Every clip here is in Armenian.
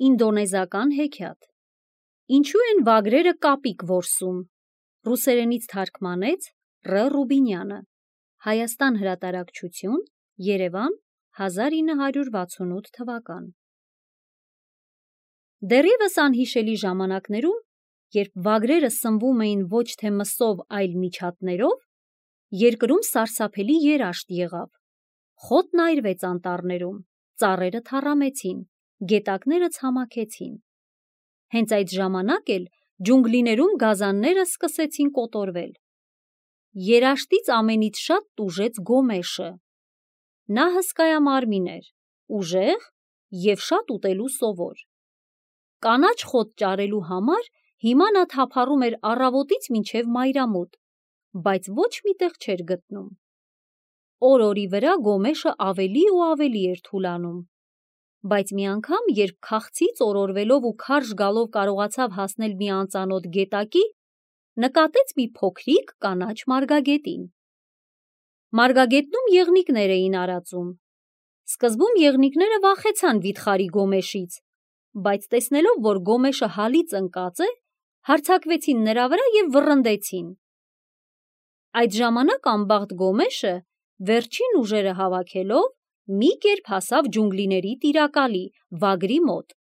Ինդոնեզական հեքիաթ։ Ինչու են վագրերը կապիկ որսում։ Ռուսերենից թարգմանեց Ռ. Ռուբինյանը։ Հայաստան հրատարակչություն, Երևան, 1968 թվական։ Դեռևս անհիշելի ժամանակներում, երբ վագրերը սնվում էին ոչ թե մսով, այլ միջատներով, երկրում սարսափելի երաշտ եղավ։ Խոտն այրվեց անտառներում, ծառերը թառամեցին, գետակները ցամաքեցին։ Հենց այդ ժամանակ էլ ջունգլիներում գազանները սկսեցին կոտորվել։ Երաշտից ամենից շատ տուժեց Գոմեշը։ Նա հսկայամարմին էր, ուժեղ և շատ ուտելու սովոր։ Կանաչ խոտ ճարելու համար հիմա նա թափառում էր առավոտից մինչև մայրամուտ, բայց ոչ մի տեղ չէր գտնում։ Օր-օրի վրա Գոմեշը ավելի ու ավելի էր թուլանում, բայց մի անգամ, երբ քաղցից օրորվելով ու քարշ գալով կարողացավ հասնել մի անծանոթ գետակի, նկատեց մի փոքրիկ կանաչ մարգագետին։ Մարգագետնում եղնիկներ էին արածում։ Սկզբում եղնիկները վախեցան վիթխարի Գոմեշից, բայց տեսնելով, որ Գոմեշը հալից ընկած է, հարձակվեցին նրա վրա և վռնդեցին։ Այդ ժամանակ անբախտ Գոմեշը, վերջին ուժերը հավաքելով, մի կերպ հասավ ջունգլիների տիրակալի վագրի մոտ։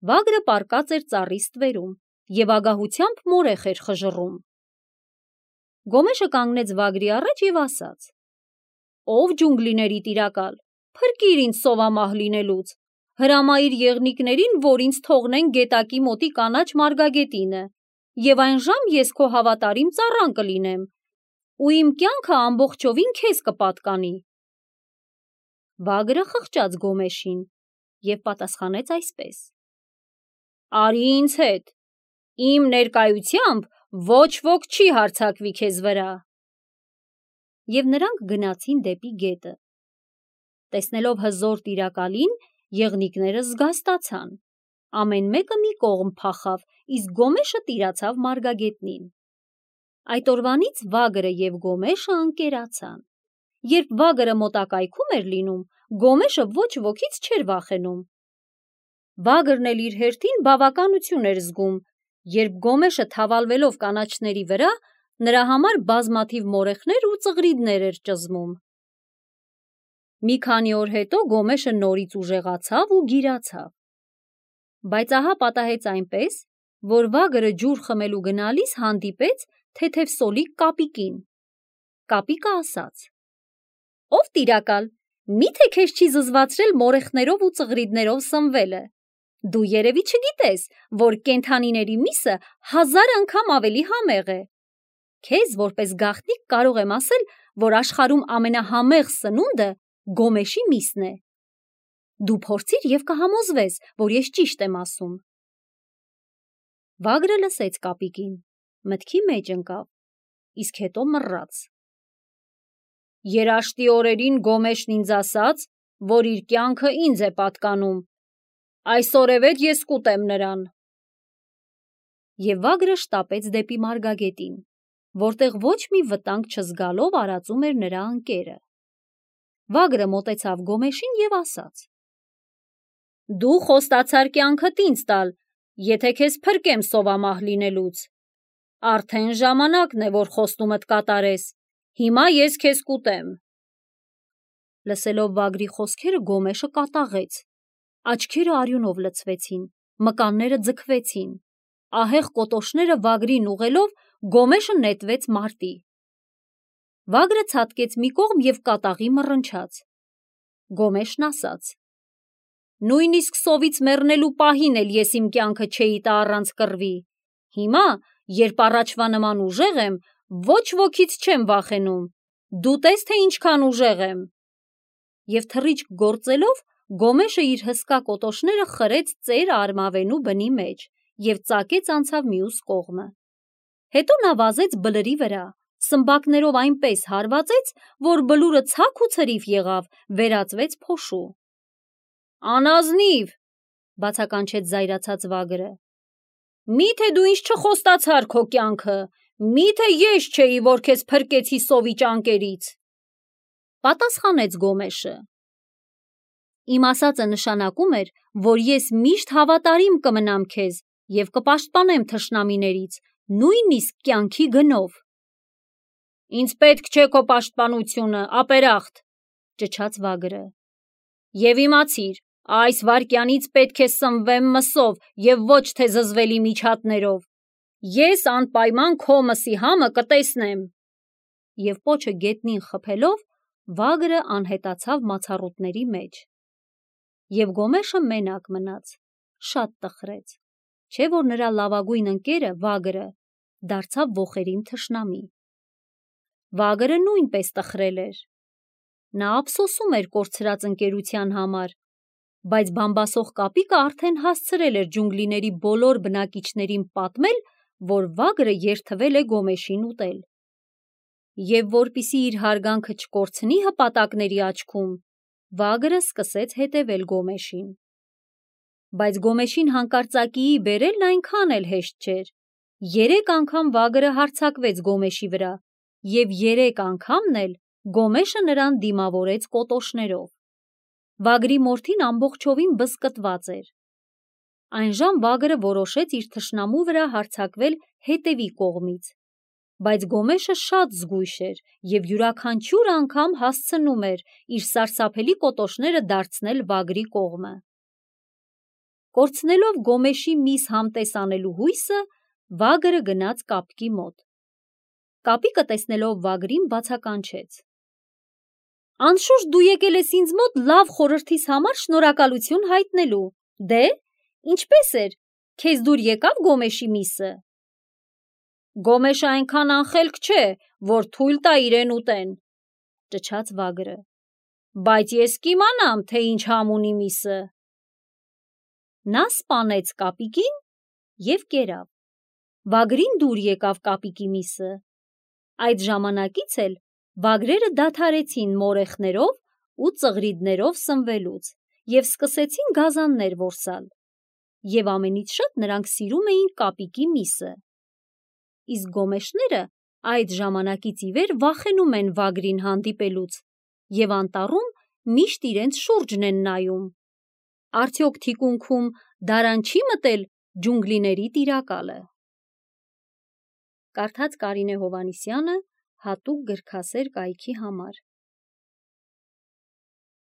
Վագրը պառկած էր ծառի ստվերում և ագահությամբ մորեխ էր խժռում։ Գոմեշը կանգնեց վագրի առաջ և ասաց. «Ով ջունգլիների տիրակալ, փրկիր ինձ սովամահ լինելուց, հրամայիր եղնիկներին, որ ինձ թողնեն գետակի մոտի կանաչ մարգագետինը, և այն ժամ ես քո հավատարիմ ծառան կլինեմ, ու իմ կյանքը ամբողջովին քեզ կպատկանի»։ Վագրը խղճաց Գոմեշին և պատասխանեց այսպես. «Արի ինձ հետ, իմ ներկայությամբ ոչ ոք չի հարձակվի քեզ վրա»։ Եվ նրանք գնացին դեպի գետը։ Տեսնելով հզոր տիրակալին, եղնիկները զգաստացան։ Ամեն մեկը մի կողմ փախավ, իսկ Գոմեշը տիրացավ մարգագետնին։ Այդ օրվանից վագրը և Գոմեշը ընկերացան։ Երբ վագրը մոտակայքում էր լինում, Գոմեշը ոչ ոքից չէր վախենում։ Վագրն էլ իր հերթին բավականություն էր զգում, երբ Գոմեշը թավալվելով կանաչների վրա, նրա համար բազմաթիվ մորեխներ ու ծղրիդներ էր ճզմում։ Մի քանի օր հետո Գոմեշը նորից ուժեղացավ ու գիրացավ։ Բայց ահա պատահեց այնպես, որ վագրը ջուր խմելու գնալիս հանդիպեց թեթև սոլիկ կապիկին։ Կապիկը ասաց. «Ով տիրակալ, մի՞թե քեզ չի զզվացրել մորեխներով ու ծղրիդներով սնվելը։ Դու երևի չգիտես, որ կենդանիների միսը 1000 անգամ ավելի համեղ է։ Քեզ որպես գաղտնիք կարող եմ ասել, որ աշխարհում ամենահամեղ սնունդը Գոմեշի միսն է։ Դու փորձիր և կհամոզվես, որ ես ճիշտ եմ ասում»։ Վագրը լսեց կապիկին, մտքի մեջ ընկավ, իսկ հետո մռռաց. «Երաշտի օրերին Գոմեշն ինձ ասաց, որ իր կյանքը ինձ է պատկանում։ Այսօրևեթ ես կուտեմ նրան»։ Եվ վագրը շտապեց դեպի մարգագետին, որտեղ ոչ մի վտանգ չզգալով արածում էր նրա ընկերը։ Վագրը մոտեցավ Գոմեշին և ասաց. «Դու խոստացար կյանքդ ինձ տալ, եթե քեզ փրկեմ սովամահ լինելուց։ Արդեն ժամանակն է, որ խոստումդ կատարես, հիմա ես քեզ կուտեմ»։ Լսելով վագրի խոսքերը Գոմեշը կատաղեց, աչքերը արյունով լցվեցին, մկանները ձգվեցին, ահեղ կոտոշները վագրին ուղղելով Գոմեշը նետվեց մարտի։ Վագրը ցատկեց մի կողմ և կատաղի մռնչաց։ Գոմեշն ասաց. «Նույնիսկ սովից մեռնելու պահին էլ ես իմ կյանքը չէի տա առանց կռվի։ Հիմա, երբ առաջվա նման ուժեղ եմ, ոչ ոքից չեմ վախենում։ Դու տես, թե ինչքան ուժեղ եմ»։ Եվ թռիչք գործելով Գոմեշը իր հսկա կոտոշները խրեց ծեր արմավենու բնի մեջ և ծակեց անցավ մյուս կողմը։ Հետո նա վազեց բլրի վրա, սմբակներով այնպես հարվածեց, որ բլուրը ցակ ու ցրիվ եղավ, վերածվեց փոշու։ «Անազնիվ», բացականչեց զայրացած վագրը, «մի՞թե դու ինձ չխոստացար քո կյանքը, մի՞թե ես չէի, որ քեզ փրկեցի սովի ճանկերից»։ Պատասխանեց Գոմեշը. Իմ ասածը նշանակում էր, որ ես միշտ հավատարիմ կմնամ քեզ և կպաշտպանեմ թշնամիներից, նույնիսկ կյանքի գնով։ Ինձ պետք չէ քո պաշտպանությունը, ապերախտ, ճչաց Վագրը։ Եվ իմացիր, այս վայրկյանից պետք է սնվեմ մսով և ոչ թե զզվելի միջատներով։ Ես անպայման քո մսի համը կտեսնեմ։ Եվ պոչը գետնին խփելով, Վագրը անհետացավ մացառուտների մեջ։ Եվ Գոմեշը մենակ մնաց, շատ տխրեց, չէ՞ որ նրա լավագույն ընկերը Վագրը դարձավ ոխերիմ թշնամի։ Վագրը նույնպես տխրել էր։ Նա ափսոսում էր կորցրած ընկերության համար, բայց բամբասող կապիկը արդեն հասցրել էր ջունգլիների բոլոր բնակիչներին պատմել, որ Վագրը երդվել է Գոմեշին ուտել։ Եվ որպեսզի իր հարգանքը չկորցնի հպատակների աչքում, Վագրը սկսեց հետևել Գոմեշին։ Բայց Գոմեշին հանկարծակիի բերելն այնքան էլ հեշտ չէր։ 3 անգամ Վագրը հարձակվեց Գոմեշի վրա, և 3 անգամն էլ Գոմեշը նրան դիմավորեց կոտոշներով։ Վագրի մորթին ամբողջովին բզկտված էր։ Այնժամ Վագրը որոշեց իր թշնամու վրա հարձակվել հետևի կողմից, բայց Գոմեշը շատ զգույշ էր և յուրաքանչյուր անգամ հասցնում էր իր սարսափելի կոտոշները դարձնել Վագրի կողմը։ Կորցնելով Գոմեշի միս համտես անելու հույսը, Վագրը գնաց կապիկի մոտ։ Կապիկը տեսնելով Վագրին բացականչեց. Անշուշտ դու եկել ես ինձ մոտ լավ խորհրդիս համար շնորհակալություն հայտնելու։ Դե, ինչպե՞ս էր, քեզ դուր եկավ Գոմեշի միսը։ Գոմեշը այնքան անխելք չէ, որ թույլ տա իրեն ուտեն, ճչաց Վագրը, բայց ես կիմանամ, թե ինչ համ ունի միսը։ Նա սպանեց կապիկին և կերավ։ Վագրին դուր եկավ կապիկի միսը։ Այդ ժամանակից էլ վագրերը դադարեցին մորեխներով ու ծղրիդներով սնվելուց և սկսեցին գազաններ որսալ։ Եվ ամենից շատ նրանք սիրում էին կապիկի միսը։ Իսկ գոմեշները այդ ժամանակից ի վեր վախենում են Վագրին հանդիպելուց և անտառում միշտ իրենց շուրջն են նայում։ Արդյոք թիկունքում դարան չի մտել ջունգլիների տիրակալը։ Կարդաց Կարինե Հովհաննիսյանը հատուկ գրքասեր կայքի համար։